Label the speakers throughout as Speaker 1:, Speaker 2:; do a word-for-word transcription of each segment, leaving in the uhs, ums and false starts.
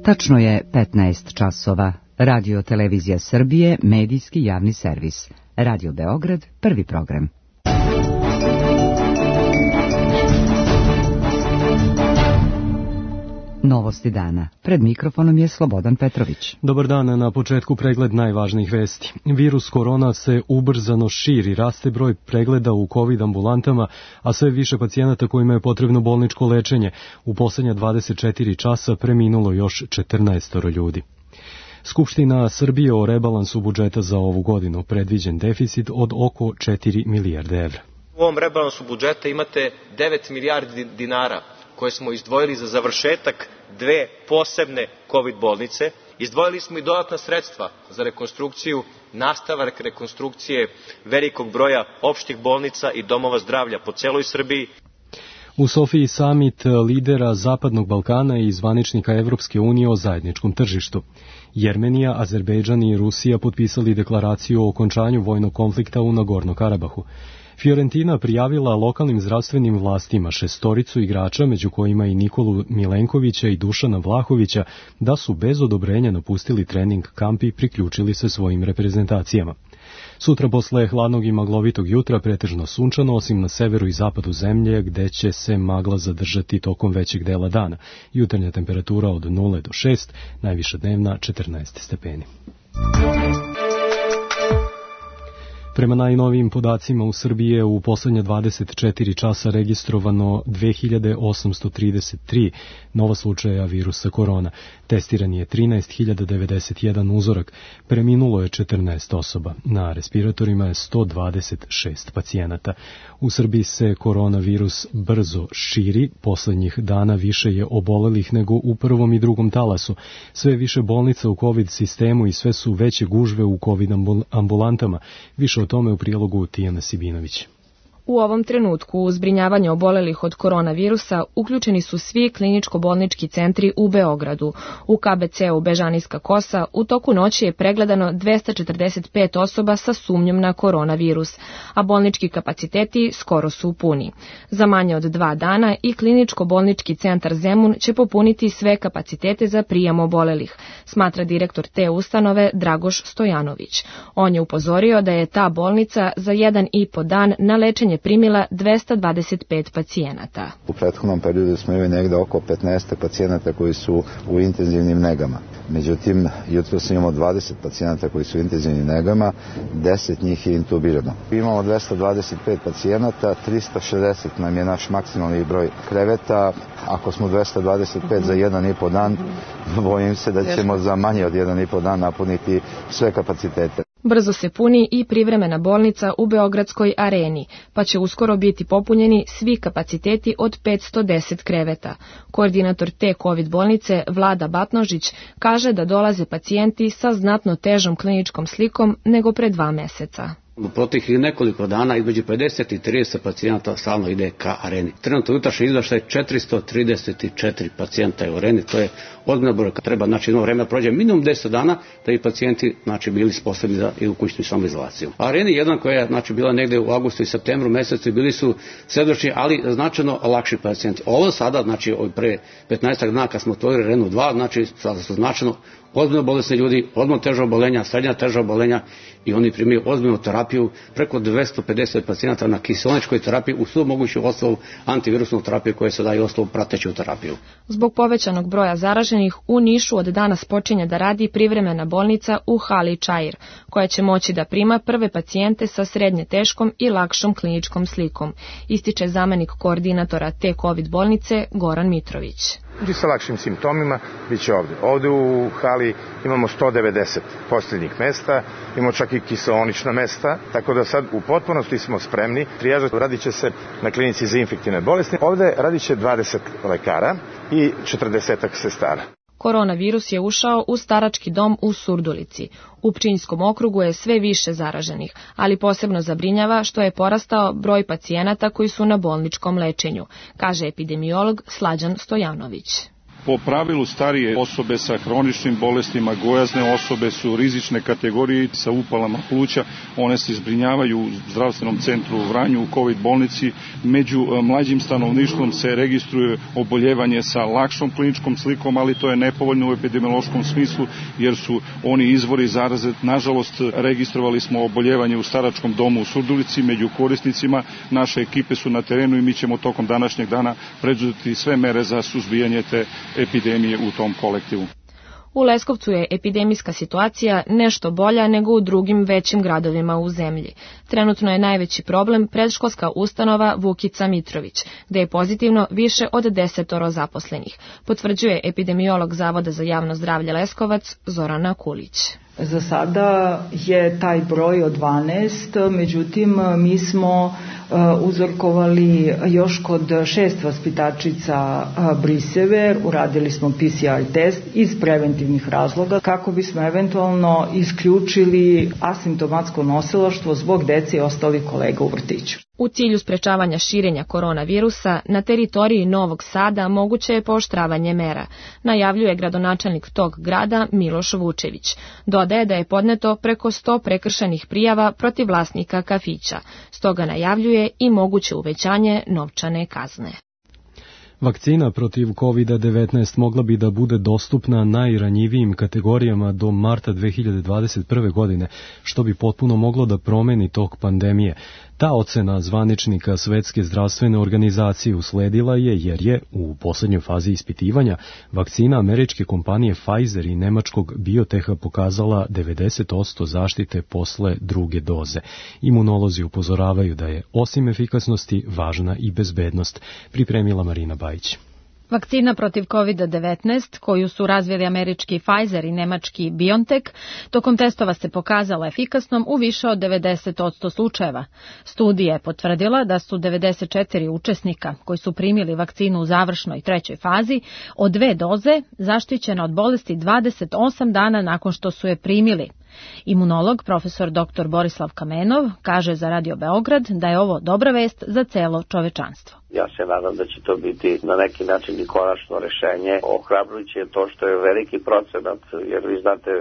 Speaker 1: Tačno je petnaest časova. Radio Televizija Srbije, medijski javni servis. Radio Beograd, prvi program. Novosti dana. Pred mikrofonom je Slobodan Petrović.
Speaker 2: Dobar dan, na početku pregled najvažnijih vesti. Virus korona se ubrzano širi, raste broj pregleda u COVID ambulantama, a sve više pacijenata kojima je potrebno bolničko lečenje. U poslednja dvadeset četiri časa preminulo još četrnaest ljudi. Skupština Srbije o rebalansu budžeta za ovu godinu, predviđen deficit od oko četiri milijarde evra.
Speaker 3: U ovom rebalansu budžeta imate devet milijardi dinara koje smo izdvojili za završetak dve posebne COVID bolnice. Izdvojili smo i dodatna sredstva za rekonstrukciju, nastavak rekonstrukcije velikog broja opštih bolnica i domova zdravlja po celoj Srbiji.
Speaker 2: U Sofiji samit lidera Zapadnog Balkana i zvaničnika Evropske unije o zajedničkom tržištu. Jermenija, Azerbejdžan i Rusija potpisali deklaraciju o okončanju vojnog konflikta u Nagorno-Karabahu. Fiorentina prijavila lokalnim zdravstvenim vlastima šestoricu igrača, među kojima i Nikolu Milenkovića i Dušana Vlahovića, da su bez odobrenja napustili trening kamp i priključili se svojim reprezentacijama. Sutra posle hladnog i maglovitog jutra pretežno sunčano, osim na severu i zapadu zemlje, gde će se magla zadržati tokom većeg dela dana. Jutarnja temperatura od nula do šest, najviša dnevna četrnaest stepeni. Prema najnovijim podacima u Srbiji je u poslednja dvadeset četiri časa registrovano dve hiljade osamsto trideset tri nova slučaja virusa korona. Testiran je trinaest hiljada devedeset jedan uzorak, preminulo je četrnaest osoba. Na respiratorima je sto dvadeset šest pacijenata. U Srbiji se koronavirus brzo širi, poslednjih dana više je obolelih nego u prvom i drugom talasu. Sve više bolnica u COVID sistemu i sve su veće gužve u COVID ambulantama. Više o tome u prilogu Tijana Sibinović.
Speaker 4: U ovom trenutku u zbrinjavanje obolelih od koronavirusa uključeni su svi kliničko-bolnički centri u Beogradu. U K B C-u Bežanijska Kosa u toku noći je pregledano dvesta četrdeset pet osoba sa sumnjom na koronavirus, a bolnički kapaciteti skoro su puni. Za manje od dva dana i kliničko-bolnički centar Zemun će popuniti sve kapacitete za prijem obolelih, smatra direktor te ustanove Dragoš Stojanović. On je upozorio da je ta bolnica za jedan i po dan na lečenje primila dvesta dvadeset pet pacijenata.
Speaker 5: U prethodnom periodu smo imali negde oko petnaest pacijenata koji su u intenzivnim negama. Međutim, jutros imamo dvadeset pacijenata koji su u intenzivnim negama, deset njih je intubirano. Imamo dvesta dvadeset pet pacijenata, trista šezdeset nam je naš maksimalni broj kreveta. Ako smo dvesta dvadeset pet za jedan i po dan, bojim se da ćemo za manje od jedan i po dan napuniti sve kapacitete.
Speaker 4: Brzo se puni i privremena bolnica u Beogradskoj areni, pa će uskoro biti popunjeni svi kapaciteti od petsto deset kreveta. Koordinator te COVID bolnice, Vlada Batnožić, kaže da dolaze pacijenti sa znatno težom kliničkom slikom nego pre dva meseca.
Speaker 6: U proteklih nekoliko dana između pedeset i trideset pacijenata stalno ide ka areni. Trenutno jutrašnji izveštaj četiristo trideset četiri pacijenta u areni, to je ozbiljna broj. Treba znači jedno vreme prođe minimum deset dana da i pacijenti znači bili sposobni za i u kućnu samoizolaciju. Areni jedan koja je znači bila negde u avgustu i septembru mesecu bili su svedočni, ali značajno lakši pacijenti. Ovo sada znači pre petnaestak dana kad smo otvorili arenu dva, znači sada su značajno ozbiljno bolesni ljudi, ozbiljno teža oboljenja, srednja teža oboljenja i oni primaju ozbiljnu terapiju, preko dvesta pedeset pacijenata na kiseoničkoj terapiji u svu moguću osnovu antivirusnu terapiju koja se daje osnovu prateću terapiju.
Speaker 4: Zbog povećanog broja zaraženih u Nišu od danas počinje da radi privremena bolnica u hali Čair, koja će moći da prima prve pacijente sa srednje teškom i lakšom kliničkom slikom, ističe zamenik koordinatora te COVID bolnice Goran Mitrović.
Speaker 7: Ljudi sa lakšim simptomima bit će ovde. Ovde u hali imamo sto devedeset posteljnih mesta, imamo čak i kiseonična mesta, tako da sad u potpunosti smo spremni. Trijaža radit će se na klinici za infektivne bolesti. Ovde radit će dvadeset lekara i četrdeset sestara.
Speaker 4: Koronavirus je ušao u starački dom u Surdulici. U Pčinjskom okrugu je sve više zaraženih, ali posebno zabrinjava što je porastao broj pacijenata koji su na bolničkom lečenju, kaže epidemiolog Slađan Stojanović.
Speaker 8: Po pravilu starije osobe sa hroničnim bolestima, gojazne osobe su rizične kategorije sa upalama pluća, one se zbrinjavaju u zdravstvenom centru u Vranju, u COVID bolnici. Među mlađim stanovništvom se registruje oboljevanje sa lakšom kliničkom slikom, ali to je nepovoljno u epidemiološkom smislu jer su oni izvori zaraze. Nažalost, registrovali smo oboljevanje u staračkom domu u Surdulici, među korisnicima naše ekipe su na terenu i mi ćemo tokom današnjeg dana preduzeti sve mere za suzbijanje te epidemije u tom kolektivu.
Speaker 4: U Leskovcu je epidemijska situacija nešto bolja nego u drugim većim gradovima u zemlji. Trenutno je najveći problem predškolska ustanova Vukica Mitrović, gde je pozitivno više od desetoro zaposlenih, potvrđuje epidemiolog Zavoda za javno zdravlje Leskovac Zorana Kulić.
Speaker 9: Za sada je taj broj od dvanaest, međutim mi smo uzorkovali još kod šest vaspitačica Brisever, uradili smo P C R test iz preventivnih razloga kako bismo eventualno isključili asimptomatsko nosilaštvo zbog dece i ostalih kolega u vrtiću.
Speaker 4: U cilju sprečavanja širenja koronavirusa, na teritoriji Novog Sada moguće je pooštravanje mera, najavljuje gradonačelnik tog grada Miloš Vučević. Dodaje da je podneto preko sto prekršajnih prijava protiv vlasnika kafića, stoga najavljuje i moguće uvećanje novčane kazne.
Speaker 2: Vakcina protiv kovid devetnaest mogla bi da bude dostupna najranjivijim kategorijama do marta dve hiljade dvadeset prve. godine, što bi potpuno moglo da promeni tok pandemije. Ta ocena zvaničnika Svetske zdravstvene organizacije usledila je jer je u poslednjoj fazi ispitivanja vakcina američke kompanije Pfizer i nemačkog Bioteha pokazala devedeset posto zaštite posle druge doze. Imunolozi upozoravaju da je osim efikasnosti važna i bezbednost, pripremila Marina Bajić.
Speaker 10: Vakcina protiv kovid devetnaest, koju su razvili američki Pfizer i nemački BioNTech, tokom testova se pokazala efikasnom u više od devedeset posto slučajeva. Studija je potvrdila da su devedeset četiri učesnika koji su primili vakcinu u završnoj trećoj fazi od dve doze zaštićena od bolesti dvadeset osam dana nakon što su je primili. Imunolog profesor doktor Borislav Kamenov kaže za Radio Beograd da je ovo dobra vest za celo čovečanstvo.
Speaker 11: Ja se nadam da će to biti na neki način i konačno rešenje. Ohrabrujuće je to što je veliki procenat, jer vi znate,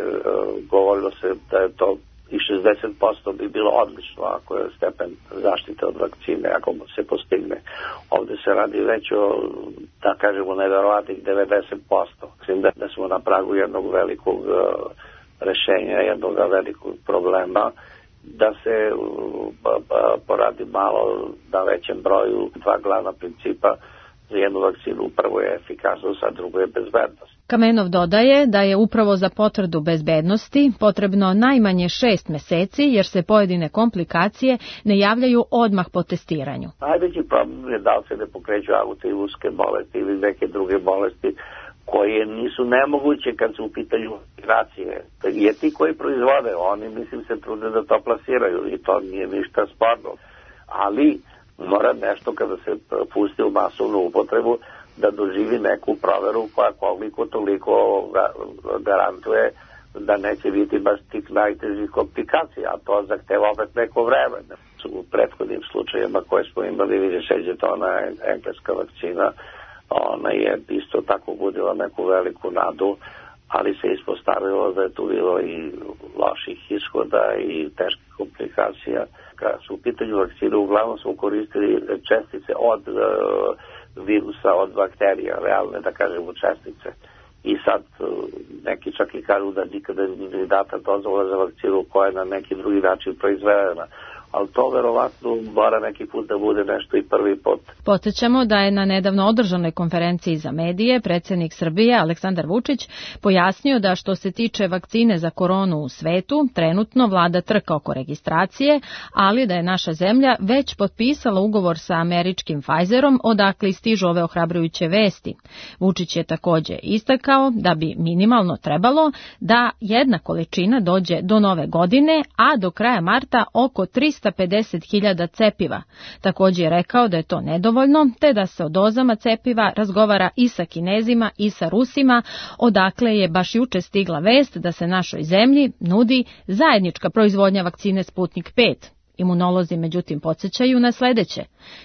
Speaker 11: govorilo se da je to i šezdeset posto bi bilo odlično ako je stepen zaštite od vakcine, ako se postigne. Ovde se radi već o, da kažemo, neverovatnih devedeset posto. Mislim da, da smo na pragu jednog velikog rešenja, jednog velikog problema, da se poradi malo na većem broju dva glavna principa za jednu vakcinu. Prvo je efikasnost, a drugo je bezbednost.
Speaker 10: Kamenov dodaje da je upravo za potvrdu bezbednosti potrebno najmanje šest meseci, jer se pojedine komplikacije ne javljaju odmah po testiranju.
Speaker 11: Najveći problem je da li se ne pokreću autoimunske bolesti ili neke druge bolesti koje nisu nemoguće kad su u pitanju vakcinacije. Jer ti koji proizvode, oni mislim se trude da to plasiraju i to nije ništa sporno. Ali mora nešto kada se pusti u masovnu upotrebu da doživi neku proveru koja koliko toliko garantuje da neće biti baš tih najtežih komplikacija, a to zahteva opet neko vreme. U prethodnim slučajima koje smo imali, vidjeti seđe to ona engleska vakcina, ona je isto tako budila neku veliku nadu, ali se ispostavilo da je tu bilo i loših ishoda i teških komplikacija. Kada su u pitanju vakcine, uglavnom smo koristili čestice od uh, virusa, od bakterija, realne, da kažemo, čestice. I sad uh, neki čak i kažu da nikada nije data dozvola za vakcinu koja je na neki drugi način proizvedena. Ali to verovatno mora neki put da bude nešto i prvi put.
Speaker 10: Podsećamo da je na nedavno održanoj konferenciji za medije predsjednik Srbije Aleksandar Vučić pojasnio da što se tiče vakcine za koronu u svetu, trenutno vlada trka oko registracije, ali da je naša zemlja već potpisala ugovor sa američkim Pfizerom, odakle stižu ove ohrabrujuće vesti. Vučić je također istakao da bi minimalno trebalo da jedna količina dođe do nove godine, a do kraja marta oko trista pedeset hiljada cepiva. Također je rekao da je to nedovoljno, te da se o dozama cepiva razgovara i sa Kinezima i sa Rusima, odakle je baš juče stigla vest da se našoj zemlji nudi zajednička proizvodnja vakcine Sputnik pet. Imunolozi međutim podsjećaju na sledeće.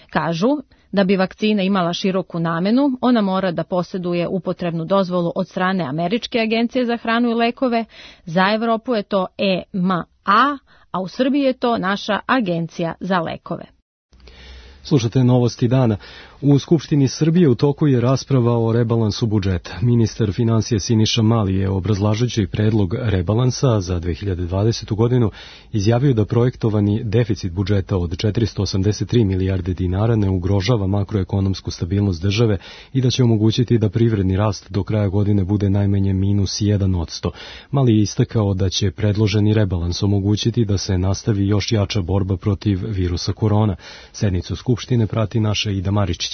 Speaker 10: Kažu Da bi vakcina imala široku namenu, ona mora da posjeduje upotrebnu dozvolu od strane Američke agencije za hranu i lekove, za Evropu je to E M A, a u Srbiji je to naša Agencija za lekove.
Speaker 2: Slušate novosti dana. U Skupštini Srbije u toku je rasprava o rebalansu budžeta. Ministar financija Siniša Mali je, obrazlažući predlog rebalansa za dve hiljade dvadesetu. godinu, izjavio da projektovani deficit budžeta od četiristo osamdeset tri milijarde dinara ne ugrožava makroekonomsku stabilnost države i da će omogućiti da privredni rast do kraja godine bude najmanje minus jedan odsto. Mali je istakao da će predloženi rebalans omogućiti da se nastavi još jača borba protiv virusa korona. Sednicu Skupštine prati naša Ida Maričić.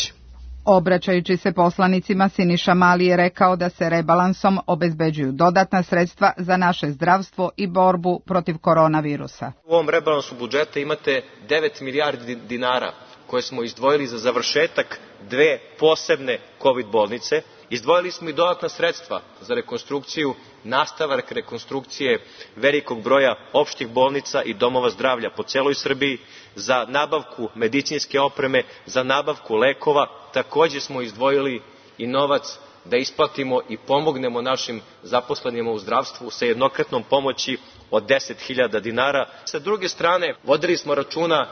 Speaker 12: Obraćajući se poslanicima, Siniša Mali je rekao da se rebalansom obezbeđuju dodatna sredstva za naše zdravstvo i borbu protiv koronavirusa.
Speaker 3: U ovom rebalansu budžeta imate devet milijardi dinara koje smo izdvojili za završetak dve posebne COVID bolnice. Izdvojili smo i dodatna sredstva za rekonstrukciju, nastavak rekonstrukcije velikog broja opštih bolnica i domova zdravlja po celoj Srbiji, za nabavku medicinske opreme, za nabavku lekova. Takođe smo izdvojili i novac da isplatimo i pomognemo našim zaposlenima u zdravstvu sa jednokratnom pomoći od deset hiljada dinara. Sa druge strane, vodili smo računa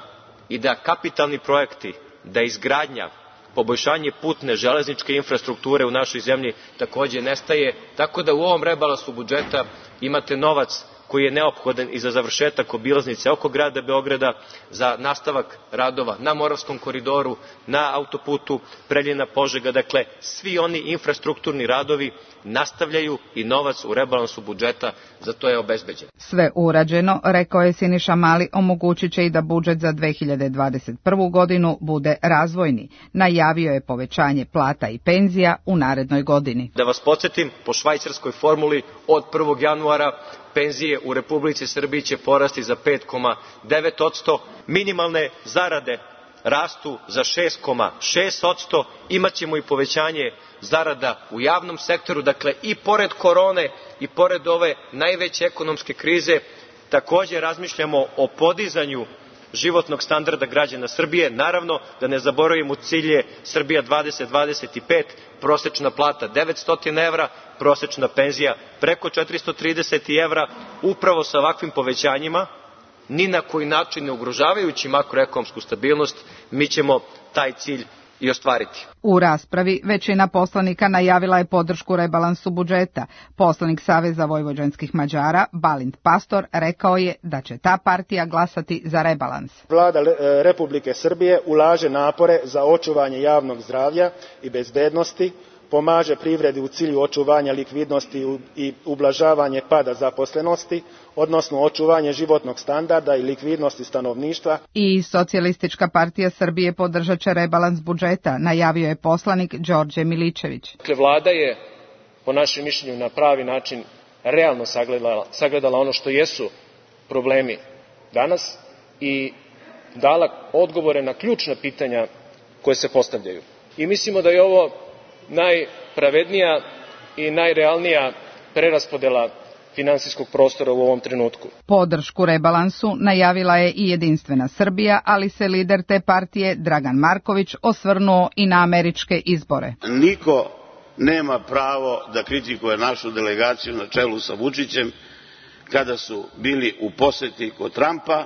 Speaker 3: i da kapitalni projekti, da izgradnja, poboljšanje putne železničke infrastrukture u našoj zemlji takođe nestaje, tako da u ovom rebalansu budžeta imate novac koji je neophodan i za završetak obilaznice oko grada Beograda, za nastavak radova na Moravskom koridoru, na autoputu Preljina-Požega. Dakle, svi oni infrastrukturni radovi nastavljaju i novac u rebalansu budžeta za to je obezbeđen.
Speaker 12: Sve urađeno, rekao je Siniša Mali, omogućit će i da budžet za dve hiljade dvadeset prvu. godinu bude razvojni. Najavio je povećanje plata i penzija u narednoj godini.
Speaker 3: Da vas podsjetim, po švajcarskoj formuli od prvog januara penzije u Republici Srbiji će porasti za pet zarez devet odsto, minimalne zarade rastu za šest zarez šest odsto, imaćemo i povećanje zarada u javnom sektoru, dakle i pored korone i pored ove najveće ekonomske krize takođe razmišljamo o podizanju životnog standarda građana Srbije. Naravno, da ne zaboravimo cilje Srbija dvadeset dvadeset pet, prosečna plata devetsto evra, prosečna penzija preko četiristo trideset evra. Upravo sa ovakvim povećanjima, ni na koji način ne ugrožavajući makroekonomsku stabilnost, mi ćemo taj cilj i ostvariti.
Speaker 12: U raspravi većina poslanika najavila je podršku rebalansu budžeta. Poslanik Saveza vojvođanskih Mađara, Balint Pastor, rekao je da će ta partija glasati za rebalans.
Speaker 13: Vlada Republike Srbije ulaže napore za očuvanje javnog zdravlja i bezbednosti, pomaže privredi u cilju očuvanja likvidnosti i ublažavanje pada zaposlenosti, odnosno očuvanje životnog standarda i likvidnosti stanovništva.
Speaker 12: I Socijalistička partija Srbije podržat će rebalans budžeta, najavio je poslanik Đorđe Miličević.
Speaker 14: Dakle, vlada je, po našem mišljenju, na pravi način realno sagledala, sagledala ono što jesu problemi danas i dala odgovore na ključna pitanja koje se postavljaju. I mislimo da je ovo najpravednija i najrealnija preraspodela finansijskog prostora u ovom trenutku.
Speaker 12: Podršku rebalansu najavila je i Jedinstvena Srbija, ali se lider te partije, Dragan Marković, osvrnuo i na američke izbore.
Speaker 15: Niko nema pravo da kritikuje našu delegaciju na čelu sa Vučićem kada su bili u poseti kod Trumpa.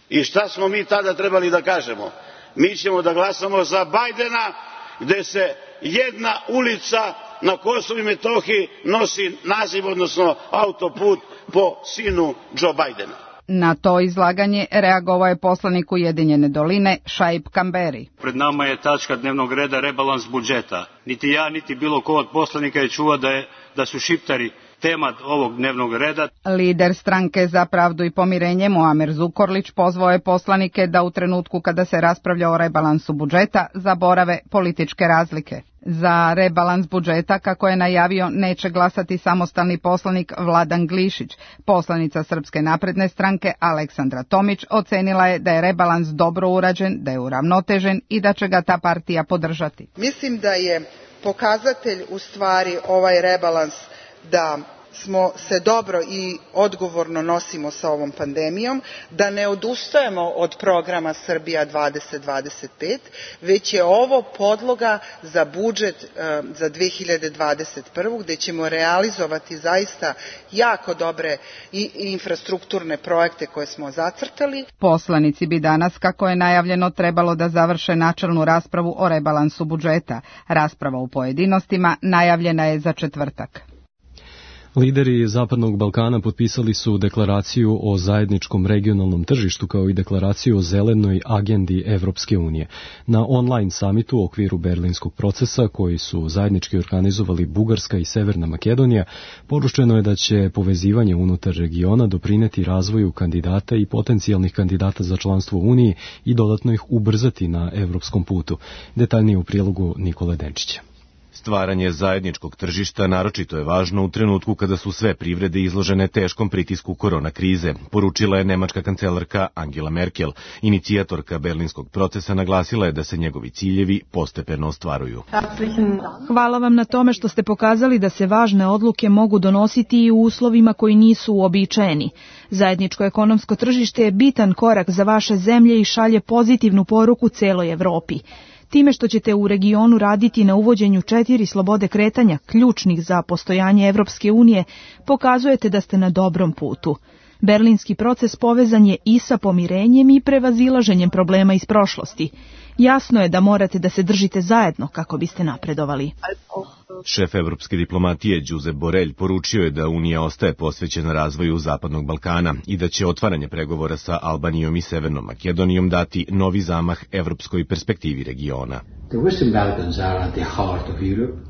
Speaker 15: I šta smo mi tada trebali da kažemo? Mi ćemo da glasamo za Bajdena, gde se jedna ulica na Kosovu i Metohiji nosi naziv, odnosno autoput po sinu Joe Bajdena.
Speaker 12: Na to izlaganje reagovao je poslanik Ujedinjene doline Šaip Kamberi.
Speaker 16: Pred nama je tačka dnevnog reda rebalans budžeta. Niti ja, niti bilo ko od poslanika je čuo da, je, da su šiptari tema ovog dnevnog reda.
Speaker 12: Lider stranke Za pravdu i pomirenje Muamer Zukorlić pozvao je poslanike da u trenutku kada se raspravlja o rebalansu budžeta zaborave političke razlike. Za rebalans budžeta, kako je najavio, neće glasati samostalni poslanik Vladan Glišić. Poslanica Srpske napredne stranke Aleksandra Tomić ocenila je da je rebalans dobro urađen, da je uravnotežen i da će ga ta partija podržati.
Speaker 17: Mislim da je pokazatelj u stvari ovaj rebalans da smo se dobro i odgovorno nosimo sa ovom pandemijom, da ne odustajemo od programa Srbija dvadeset dvadeset pet, već je ovo podloga za budžet za dve hiljade dvadeset prvu. gde ćemo realizovati zaista jako dobre i infrastrukturne projekte koje smo zacrtali.
Speaker 12: Poslanici bi danas, kako je najavljeno, trebalo da završe načelnu raspravu o rebalansu budžeta. Rasprava u pojedinostima najavljena je za četvrtak.
Speaker 2: Lideri Zapadnog Balkana potpisali su deklaraciju o zajedničkom regionalnom tržištu kao i deklaraciju o zelenoj agendi Evropske unije. Na online samitu u okviru berlinskog procesa, koji su zajednički organizovali Bugarska i Severna Makedonija, poručeno je da će povezivanje unutar regiona doprineti razvoju kandidata i potencijalnih kandidata za članstvo u Uniji i dodatno ih ubrzati na evropskom putu. Detaljnije u prilogu Nikole Denčića.
Speaker 18: Stvaranje zajedničkog tržišta naročito je važno u trenutku kada su sve privrede izložene teškom pritisku korona krize, poručila je nemačka kancelarka Angela Merkel. Inicijatorka berlinskog procesa naglasila je da se njegovi ciljevi postepeno ostvaruju.
Speaker 19: Hvala vam na tome što ste pokazali da se važne odluke mogu donositi i u uslovima koji nisu uobičajeni. Zajedničko ekonomsko tržište je bitan korak za vaše zemlje i šalje pozitivnu poruku celoj Evropi. Time što ćete u regionu raditi na uvođenju četiri slobode kretanja, ključnih za postojanje Evropske unije, pokazujete da ste na dobrom putu. Berlinski proces povezan je i sa pomirenjem i prevazilaženjem problema iz prošlosti. Jasno je da morate da se držite zajedno kako biste napredovali.
Speaker 18: Šef evropske diplomatije Josep Borrell poručio je da Unija ostaje posvećena razvoju Zapadnog Balkana i da će otvaranje pregovora sa Albanijom i Severnom Makedonijom dati novi zamah evropskoj perspektivi regiona.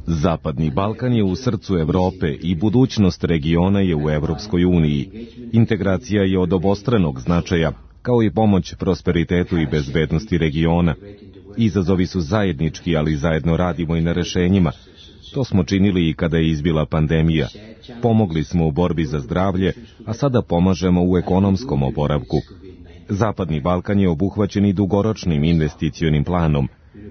Speaker 20: Zapadni Balkan je u srcu Evrope i budućnost regiona je u Evropskoj uniji. Integracija je od obostranog značaja, kao i pomoć prosperitetu i bezbednosti regiona. Izazovi su zajednički, ali zajedno radimo i na rešenjima. To smo činili i kada je izbila pandemija. Pomogli smo u borbi za zdravlje, a sada pomažemo u ekonomskom oporavku. Zapadni Balkan je obuhvaćen i dugoročnim investicionim planom.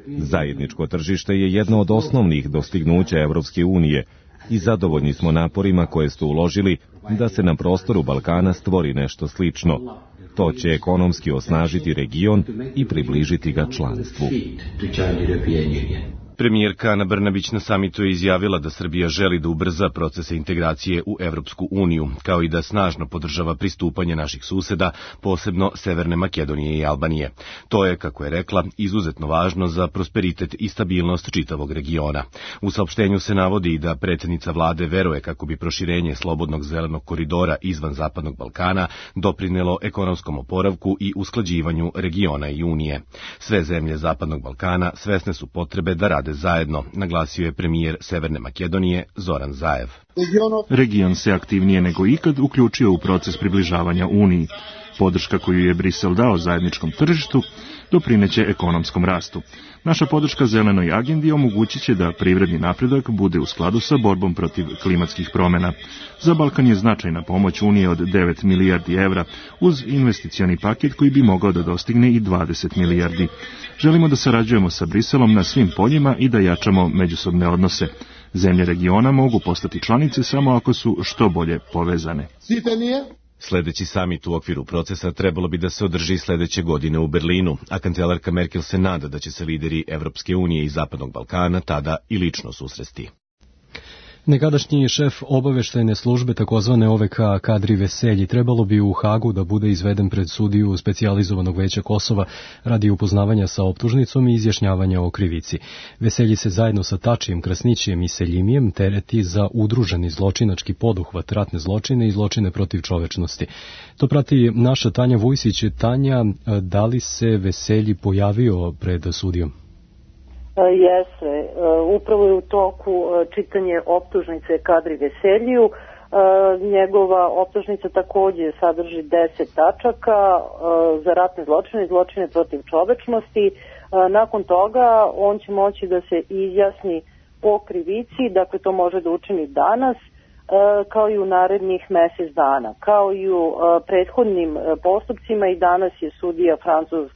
Speaker 20: Zajedničko tržište je jedno od osnovnih dostignuća Evropske unije i zadovoljni smo naporima koje ste uložili da se na prostoru Balkana stvori nešto slično. To će ekonomski osnažiti region i približiti ga članstvu.
Speaker 18: Premijerka Ana Brnabić na samitu je izjavila da Srbija želi da ubrza procese integracije u Evropsku uniju, kao i da snažno podržava pristupanje naših suseda, posebno Severne Makedonije i Albanije. To je, kako je rekla, izuzetno važno za prosperitet i stabilnost čitavog regiona. U saopštenju se navodi da predsjednica vlade veruje kako bi proširenje slobodnog zelenog koridora izvan Zapadnog Balkana doprinelo ekonomskom oporavku i usklađivanju regiona i Unije. Sve zemlje Zapadnog Balkana svesne su potrebe da rade zajedno, naglasio je premijer Severne Makedonije Zoran Zaev.
Speaker 8: Region se aktivnije nego ikad uključio u proces približavanja Uniji. Podrška koju je Brisel dao zajedničkom tržištu doprineće ekonomskom rastu. Naša podrška zelenoj agendi omogućit će da privredni napredak bude u skladu sa borbom protiv klimatskih promjena. Za Balkan je značajna pomoć Unije od devet milijardi evra, uz investicioni paket koji bi mogao da dostigne i dvadeset milijardi. Želimo da sarađujemo sa Briselom na svim poljima i da jačamo međusobne odnose. Zemlje regiona mogu postati članice samo ako su što bolje povezane.
Speaker 18: Sledeći samit u okviru procesa trebalo bi da se održi sledeće godine u Berlinu, a kancelarka Merkel se nada da će se lideri Evropske unije i Zapadnog Balkana tada i lično susresti.
Speaker 2: Nekadašnji šef obaveštajne službe takozvane O V K Kadri Veselji trebalo bi u Hagu da bude izveden pred sudiju specijalizovanog veća Kosova radi upoznavanja sa optužnicom i izjašnjavanja o krivici. Veselji se zajedno sa Tačijem, Krasnićijem i Seljimijem tereti za udruženi zločinački poduhvat, ratne zločine i zločine protiv čovečnosti. To prati naša Tanja Vujsić. Tanja, da li se Veselji pojavio pred sudijom?
Speaker 21: Jeste, upravo je u toku čitanje optužnice Kadri Veseljiju. Njegova optužnica takođe sadrži deset tačaka za ratne zločine i zločine protiv čovečnosti. Nakon toga on će moći da se izjasni o krivici, dakle to može da učini danas, kao i u narednih mesec dana. Kao i u prethodnim postupcima i danas je sudija Francuz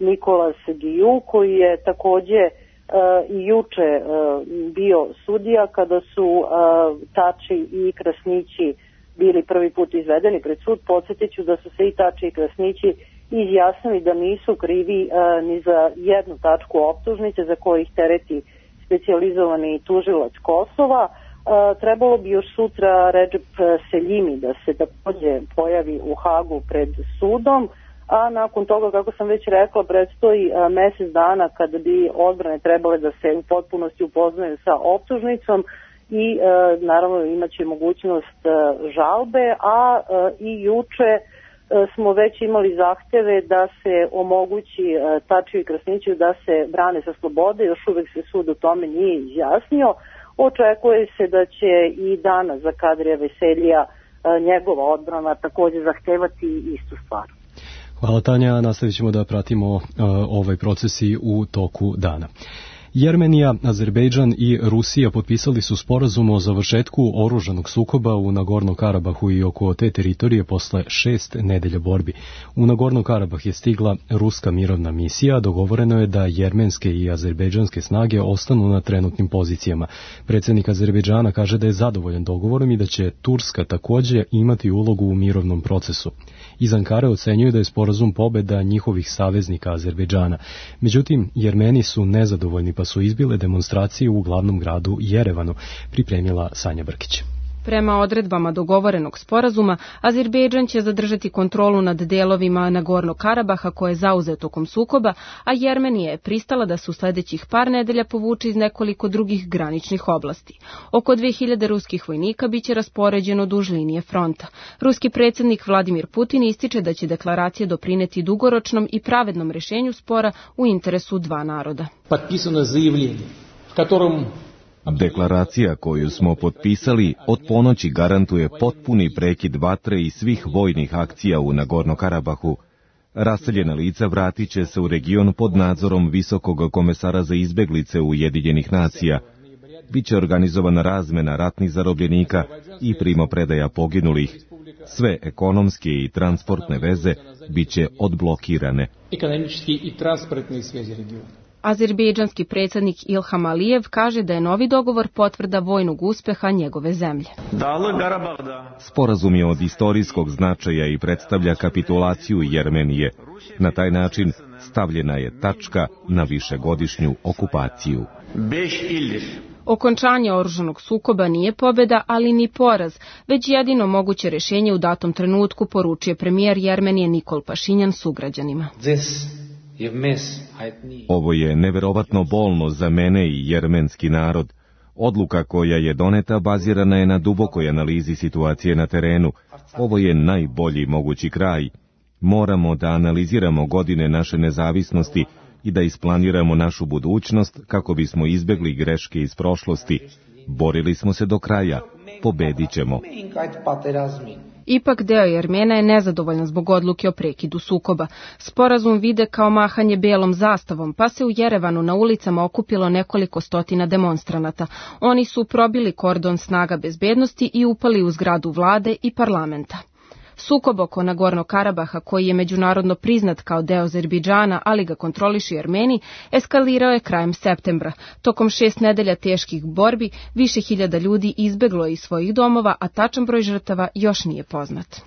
Speaker 21: Nikolas Guillou, koji je takođe i juče bio sudija kada su Tači i Krasnići bili prvi put izvedeni pred sud. Podsjetit ću da su se i Tači i Krasnići izjasnili da nisu krivi ni za jednu tačku optužnice za koje ih tereti specijalizovani tužilac Kosova. Trebalo bi još sutra Redžep Seljimi da se takođe pojavi u Hagu pred sudom, a nakon toga, kako sam već rekla, predstoji mesec dana kada bi odbrane trebale da se u potpunosti upoznaju sa optužnicom i naravno imaće mogućnost žalbe, a i juče smo već imali zahteve da se omogući Tačiju i Krasniću da se brane sa slobode, još uvek se sud o tome nije izjasnio. Očekuje se da će i danas za Kadrija Veseljija njegova odbrana takođe zahtevati istu stvar.
Speaker 2: Hvala Tanja, nastavit ćemo da pratimo uh, ovaj proces i u toku dana. Jermenija, Azerbejdžan i Rusija potpisali su sporazum o završetku oružanog sukoba u Nagorno Karabahu i oko te teritorije posle šest nedelja borbi. U Nagorno Karabah je stigla ruska mirovna misija, dogovoreno je da jermenske i azerbejdžanske snage ostanu na trenutnim pozicijama. Predsjednik Azerbejdžana kaže da je zadovoljan dogovorom i da će Turska takođe imati ulogu u mirovnom procesu. Iz Ankare ocenjuju da je sporazum pobeda njihovih saveznika Azerbejdžana. Međutim, Jermeni su nezadovoljni pa su izbile demonstracije u glavnom gradu Jerevanu, pripremila Sanja Brkić.
Speaker 4: Prema odredbama dogovorenog sporazuma, Azerbejdžan će zadržati kontrolu nad delovima Nagornog Karabaha koje je zauzeo tokom sukoba, a Jermenija je pristala da se u sledećih par nedelja povuče iz nekoliko drugih graničnih oblasti. Oko dve hiljade ruskih vojnika biće raspoređeno duž linije fronta. Ruski predsjednik Vladimir Putin ističe da će deklaracija doprineti dugoročnom i pravednom rešenju spora u interesu dva naroda.
Speaker 1: Potpisano zaявljenje, v katorom
Speaker 20: Deklaracija koju smo potpisali od ponoći garantuje potpuni prekid vatre i svih vojnih akcija u Nagorno Karabahu. Raseljena lica vratit će se u region pod nadzorom Visokog komesara za izbeglice Ujedinjenih nacija. Biće organizovana razmena ratnih zarobljenika i primopredaja poginulih. Sve ekonomske i transportne veze biće odblokirane.
Speaker 1: Ekonomički i transportne sveze regiona.
Speaker 4: Azerbejdžanski predsjednik Ilham Alijev kaže da je novi dogovor potvrda vojnog uspeha njegove zemlje.
Speaker 20: Sporazum je od istorijskog značaja i predstavlja kapitulaciju Jermenije. Na taj način stavljena je tačka na višegodišnju okupaciju.
Speaker 4: Okončanje oružanog sukoba nije pobeda, ali ni poraz, već jedino moguće rešenje u datom trenutku, poručuje premijer Jermenije Nikol Pašinjan sugrađanima.
Speaker 20: Ovo je neverovatno bolno za mene i jermenski narod. Odluka koja je doneta bazirana je na dubokoj analizi situacije na terenu. Ovo je najbolji mogući kraj. Moramo da analiziramo godine naše nezavisnosti i da isplaniramo našu budućnost kako bismo izbegli greške iz prošlosti. Borili smo se do kraja. Pobedit ćemo.
Speaker 4: Ipak deo Jermena je nezadovoljan zbog odluke o prekidu sukoba. Sporazum vide kao mahanje belom zastavom, pa se u Jerevanu na ulicama okupilo nekoliko stotina demonstranata. Oni su probili kordon snaga bezbednosti i upali u zgradu vlade i parlamenta. Sukob oko Nagornog Karabaha, koji je međunarodno priznat kao deo Azerbejdžana, ali ga kontrolišu Jermeni, eskalirao je krajem septembra. Tokom šest nedelja teških borbi, više hiljada ljudi izbeglo je iz svojih domova, a tačan broj žrtava još nije poznat.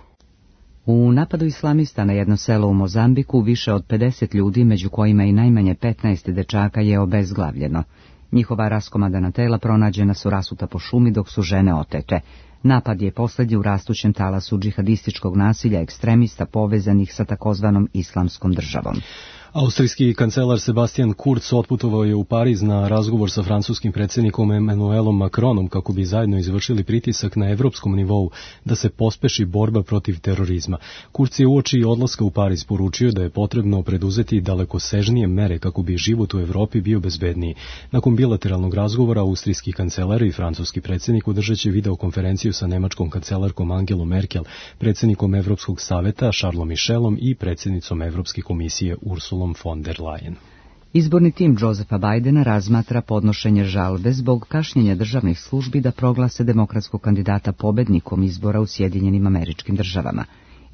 Speaker 22: U napadu islamista na jedno selo u Mozambiku više od pedeset ljudi, među kojima i najmanje petnaest dečaka, je obezglavljeno. Njihova raskomadana tela pronađena su rasuta po šumi dok su žene otete. Napad je poslednji u rastućem talasu džihadističkog nasilja ekstremista povezanih sa takozvanom islamskom državom.
Speaker 2: Austrijski kancelar Sebastian Kurz otputovao je u Pariz na razgovor sa francuskim predsjednikom Emmanuelom Macronom kako bi zajedno izvršili pritisak na evropskom nivou da se pospeši borba protiv terorizma. Kurz je uoči odlaska u Pariz poručio da je potrebno preduzeti dalekosežnije mere kako bi život u Evropi bio bezbedniji. Nakon bilateralnog razgovora austrijski kancelar i francuski predsjednik održat će videokonferenciju sa nemačkom kancelarkom Angelom Merkel, predsjednikom Evropskog saveta Charlesom Michelom i predsjednicom Evropske komisije Ursulom von der Leyen.
Speaker 22: Izborni tim Josefa Bidena razmatra podnošenje žalbe zbog kašnjenja državnih službi da proglase demokratskog kandidata pobednikom izbora u Sjedinjenim Američkim Državama.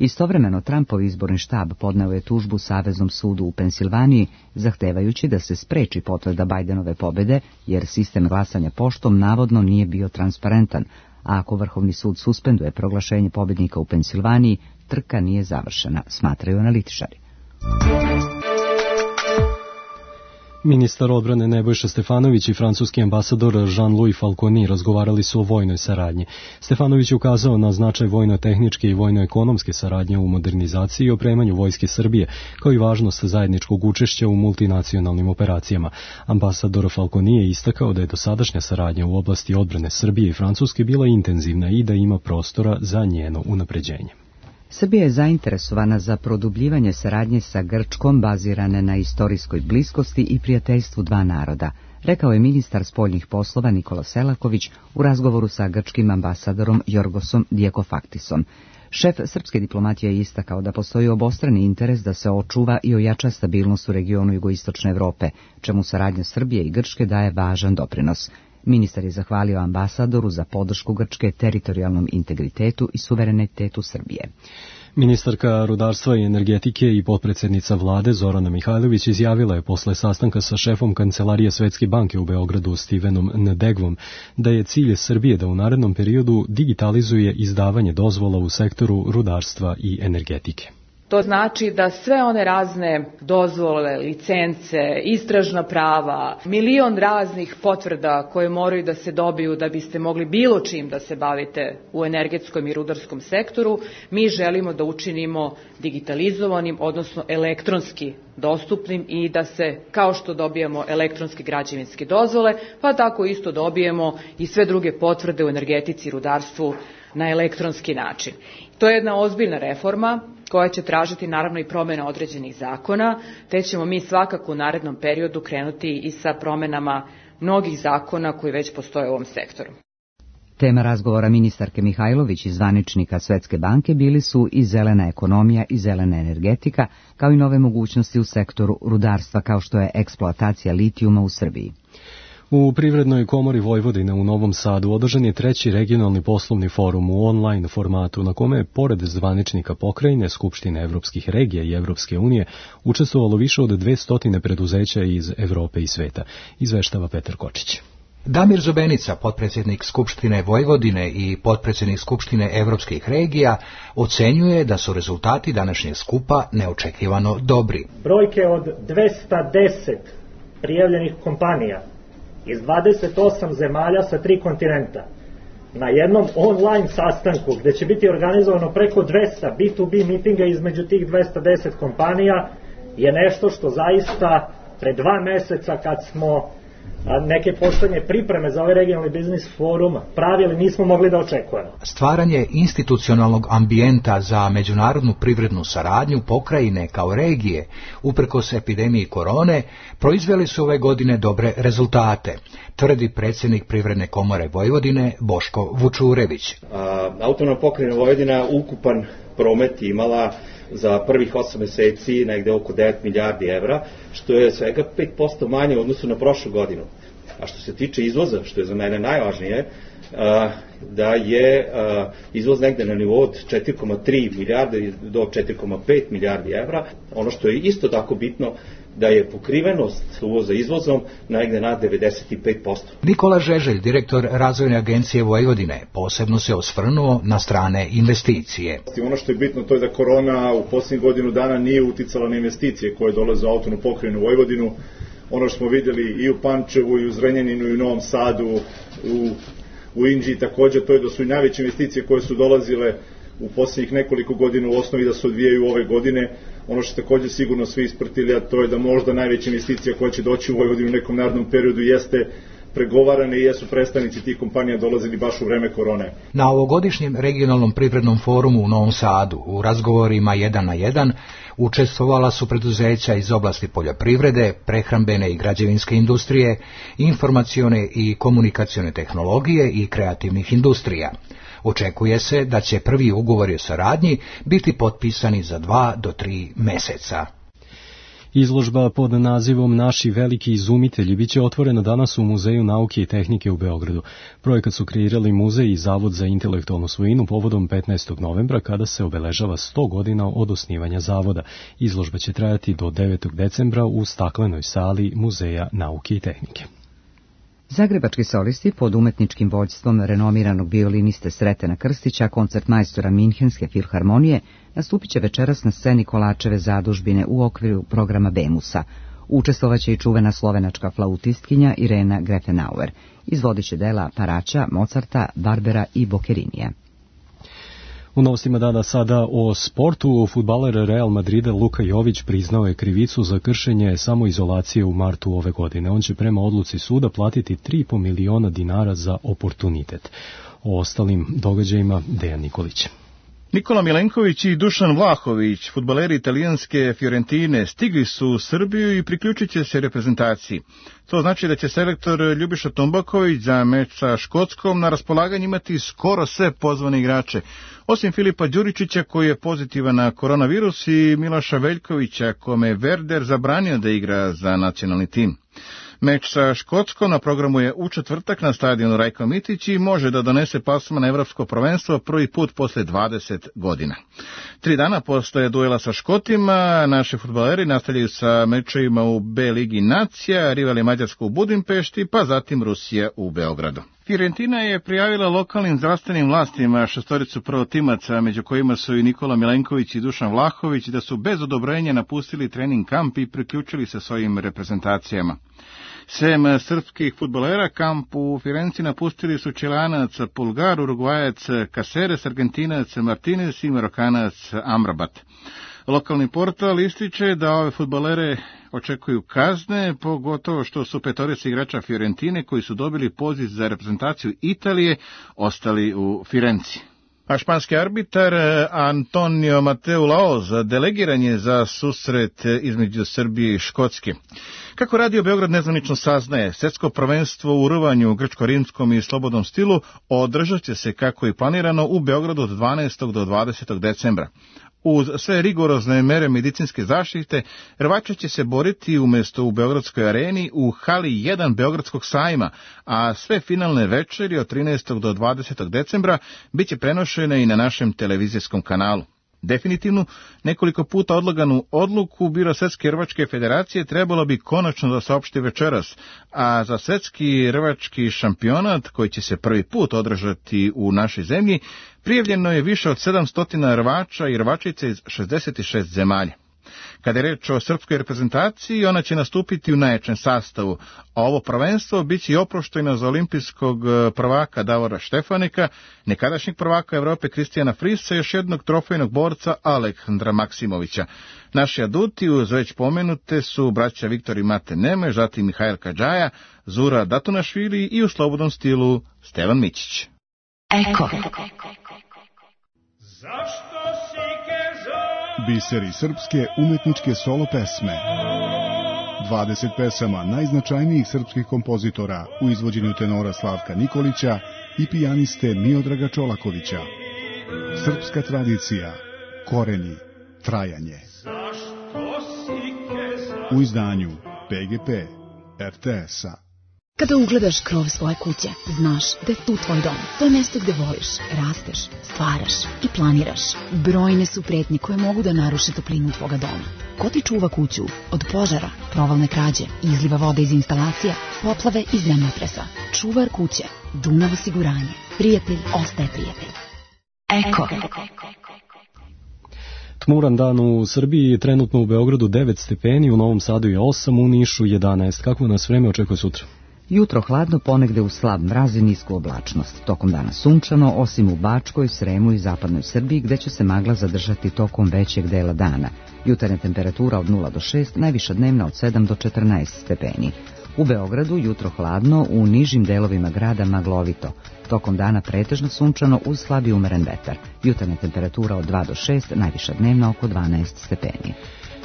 Speaker 22: Istovremeno, Trumpov izborni štab podneo je tužbu Saveznom sudu u Pensilvaniji, zahtevajući da se spreči potvrda Bajdenove pobede, jer sistem glasanja poštom navodno nije bio transparentan, a ako Vrhovni sud suspenduje proglašenje pobednika u Pensilvaniji, trka nije završena, smatraju analitičari.
Speaker 2: Ministar odbrane Nebojša Stefanović i francuski ambasador Jean-Louis Falconi razgovarali su o vojnoj saradnji. Stefanović je ukazao na značaj vojno-tehničke i vojno-ekonomske saradnje u modernizaciji i opremanju vojske Srbije, kao i važnost zajedničkog učešća u multinacionalnim operacijama. Ambasador Falconi je istakao da je dosadašnja saradnja u oblasti odbrane Srbije i Francuske bila intenzivna i da ima prostora za njeno unapređenje.
Speaker 22: Srbija je zainteresovana za produbljivanje saradnje sa Grčkom bazirane na istorijskoj bliskosti i prijateljstvu dva naroda, rekao je ministar spoljnih poslova Nikola Selaković u razgovoru sa grčkim ambasadorom Jorgosom Diakofaktisom. Šef srpske diplomatije je istakao da postoji obostrani interes da se očuva i ojača stabilnost u regionu jugoistočne Evrope, čemu saradnja Srbije i Grčke daje važan doprinos. Ministar je zahvalio ambasadoru za podršku Grčke teritorijalnom integritetu i suverenitetu Srbije.
Speaker 2: Ministarka rudarstva i energetike i potpredsjednica vlade Zorana Mihajlović izjavila je posle sastanka sa šefom Kancelarije Svetske banke u Beogradu Stevenom Ndegvom da je cilj Srbije da u narednom periodu digitalizuje izdavanje dozvola u sektoru rudarstva i energetike.
Speaker 5: To znači da sve one razne dozvole, licence, istražna prava, milion raznih potvrda koje moraju da se dobiju da biste mogli bilo čim da se bavite u energetskom i rudarskom sektoru, mi želimo da učinimo digitalizovanim, odnosno elektronski dostupnim i da se, kao što dobijamo elektronske građevinske dozvole, pa tako isto dobijemo i sve druge potvrde u energetici i rudarstvu na elektronski način. To je jedna ozbiljna reforma koja će tražiti naravno i promjena određenih zakona, te ćemo mi svakako u narednom periodu krenuti i sa promjenama mnogih zakona koji već postoje u ovom sektoru.
Speaker 22: Tema razgovora ministarke Mihajlović i zvaničnika Svetske banke bili su i zelena ekonomija i zelena energetika, kao i nove mogućnosti u sektoru rudarstva kao što je eksploatacija litijuma u Srbiji.
Speaker 2: U Privrednoj komori Vojvodine u Novom Sadu održan je treći regionalni poslovni forum u online formatu na kome je pored zvaničnika pokrajine, Skupštine evropskih regija i Evropske unije učestvovalo više od dvesta preduzeća iz Evrope i sveta, izveštava Petar Kočić.
Speaker 6: Damir Zobenica, potpredsjednik Skupštine Vojvodine i potpredsjednik Skupštine evropskih regija, ocenjuje da su rezultati današnjeg skupa neočekivano dobri.
Speaker 23: Brojke od dvesta deset prijavljenih kompanija iz dvadeset osam zemalja sa tri kontinenta na jednom online sastanku gde će biti organizovano preko dvesta B to B mitinga između tih dvesta deset kompanija je nešto što zaista pre dva meseca kad smo neke poslednje pripreme za ovaj regionalni biznis forum pravili nismo mogli da očekujemo.
Speaker 6: Stvaranje institucionalnog ambijenta za međunarodnu privrednu saradnju pokrajine kao regije, uprkos epidemiji korone, proizveli su ove godine dobre rezultate, tvrdi predsjednik Privredne komore Vojvodine Boško Vučurević.
Speaker 24: Autonomna pokrajina Vojvodina ukupan promet imala za prvih osam meseci negde oko devet milijardi evra, što je svega pet posto manje u odnosu na prošlu godinu. A što se tiče izvoza, što je za mene najvažnije, da je izvoz negde na nivou od četiri zarez tri milijarde do četiri zarez pet milijardi evra. Ono što je isto tako bitno, da je pokrivenost uvoza izvozom negde na devedeset pet posto.
Speaker 6: Nikola Žeželj, direktor Razvojne agencije Vojvodine, posebno se osvrnuo na strane investicije.
Speaker 25: Ono što je bitno to je da korona u posljednjih godinu dana nije uticala na investicije koje dolaze u autonomnu pokrajinu Vojvodinu. Ono što smo vidjeli i u Pančevu, i u Zrenjaninu, i u Novom Sadu, u, u Inđiji također, to je da su i najveće investicije koje su dolazile u posljednjih nekoliko godina u osnovi da se odvijaju ove godine. Ono što također sigurno svi ispratili, a to je da možda najveća investicija koja će doći u Vojvodinu u nekom narednom periodu jeste pregovarane i jesu predstavnici tih kompanija dolazili baš u vreme korone.
Speaker 6: Na ovogodišnjem regionalnom privrednom forumu u Novom Sadu u razgovorima jedan na jedan učestvovala su preduzeća iz oblasti poljoprivrede, prehrambene i građevinske industrije, informacione i komunikacione tehnologije i kreativnih industrija. Očekuje se da će prvi ugovori o saradnji biti potpisani za dva do tri meseca.
Speaker 2: Izložba pod nazivom Naši veliki izumitelji biće otvorena danas u Muzeju nauke i tehnike u Beogradu. Projekat su kreirali Muzej i Zavod za intelektualnu svojinu povodom petnaestog novembra kada se obeležava sto godina od osnivanja zavoda. Izložba će trajati do devetog decembra u staklenoj sali Muzeja nauke i tehnike.
Speaker 22: Zagrebački solisti pod umetničkim vođstvom renomiranog violiniste Sretena Krstića, koncertmajstora Minhenske filharmonije, nastupit će večeras na sceni Kolačeve zadužbine u okviru programa Bemusa. Učestvovaće i čuvena slovenačka flautistkinja Irena Grefenauer. Izvodit će dela Paraća, Mozarta, Barbera i Bockerinija.
Speaker 2: U novostima dana sada o sportu. Fudbaler Real Madrida Luka Jović priznao je krivicu za kršenje samoizolacije u martu ove godine. On će prema odluci suda platiti tri i po miliona dinara za oportunitet. O ostalim događajima Dejan Nikolić.
Speaker 3: Nikola Milenković i Dušan Vlahović, fudbaleri italijanske Fiorentine, stigli su u Srbiju i priključit će se reprezentaciji. To znači da će selektor Ljubiša Tombaković za meč sa Škotskom na raspolaganju imati skoro sve pozvane igrače, osim Filipa Đuričića koji je pozitivan na koronavirus i Miloša Veljkovića kome je Werder zabranio da igra za nacionalni tim. Meč sa Škotskom na programu je u četvrtak na stadionu Rajko Mitić i može da donese plasman na evropsko prvenstvo prvi put posle dvadeset godina. Tri dana posle duela sa Škotima, naši fudbaleri nastavljaju sa mečevima u B ligi nacija, rival je Mađarska u Budimpešti, pa zatim Rusija u Beogradu. Fiorentina je prijavila lokalnim zdravstvenim vlastima šestoricu prvotimaca, među kojima su i Nikola Milenković i Dušan Vlahović, da su bez odobrenja napustili trening kamp i priključili se svojim reprezentacijama. Sem srpskih fudbalera, kamp u Firenci napustili su Čilanac Pulgar, Urugvajac Caceres, Argentinac Martinez i Marokanac Amrabat. Lokalni portal ističe da ove fudbalere očekuju kazne, pogotovo što su petorica igrača Fiorentine koji su dobili poziv za reprezentaciju Italije ostali u Firenci. A španski arbitar Antonio Mateu Laoz delegiran je za susret između Srbije i Škotske. Kako Radio Beograd nezvanično saznaje, svjetsko prvenstvo u rvanju u grčko-rimskom i slobodnom stilu održat će se kako je planirano u Beogradu od dvanaestog do dvadesetog decembra. Uz sve rigorozne mere medicinske zaštite, rvača će se boriti umjesto u Beogradskoj areni u hali jedan Beogradskog sajma, a sve finalne večeri od trinaestog do dvadesetog decembra bit će prenošene i na našem televizijskom kanalu. Definitivno, nekoliko puta odlaganu odluku Biro Svetske rvačke federacije trebalo bi konačno da saopšti večeras, a za svetski rvački šampionat, koji će se prvi put održati u našoj zemlji, prijavljeno je više od sedamsto rvača i rvačica iz šezdeset šest zemalja. Kada je reč o srpskoj reprezentaciji, ona će nastupiti u najjačem sastavu, a ovo prvenstvo bit će i oproštajno za olimpijskog prvaka Davora Štefanika, nekadašnjeg prvaka Evrope Kristijana Frisa i još jednog trofejnog borca Aleksandra Maksimovića. Naši aduti uz već pomenute su braća Viktor i Mate Neme, zatim Mihajl Kadžaja, Zura Datunašvili i u slobodnom stilu Stevan Mićić.
Speaker 7: Eko.
Speaker 9: Biseri srpske umetničke solo pesme. dvadeset pesama najznačajnijih srpskih kompozitora u izvođenju tenora Slavka Nikolića i pijaniste Miodraga Čolakovića. Srpska tradicija, koreni, trajanje. U izdanju P G P R T S-a.
Speaker 10: Kada ugledaš krov svoje kuće, znaš da je tu tvoj dom. To je mesto gde voliš, rasteš, stvaraš i planiraš. Brojne su pretnje koje mogu da naruše toplinu tvoga doma. Ko ti čuva kuću od požara, provalne krađe, izliva vode iz instalacija, poplave i zemljotresa? Čuvar kuće, Dunav osiguranje. Prijatelj ostaje prijatelj. Eko.
Speaker 2: Tmuran dan u Srbiji, trenutno u Beogradu devet stepeni, u Novom Sadu je osam, u Nišu jedanaest. Kako nas vreme očekuje sutra?
Speaker 22: Jutro hladno, ponegde u slab mraz i nisku oblačnost. Tokom dana sunčano, osim u Bačkoj, Sremu i zapadnoj Srbiji, gde će se magla zadržati tokom većeg dela dana. Jutarnja temperatura od nula do šest, najviša dnevna od sedam do četrnaest stepeni. U Beogradu jutro hladno, u nižim delovima grada maglovito. Tokom dana pretežno sunčano uz slabi umeren vetar. Jutarnja temperatura od dva do šest, najviša dnevna oko dvanaest stepeni.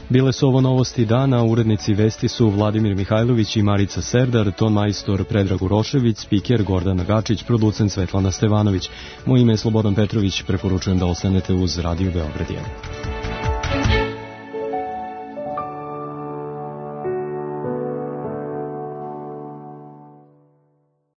Speaker 2: Bile su ovo novosti dana, urednici vesti su Vladimir Mihajlović i Marica Serdar, ton majstor Predrag Urošević, spiker Gordana Gačić, producent Svetlana Stevanović. Moje ime je Slobodan Petrović, preporučujem da ostanete uz Radio Beograd jedan.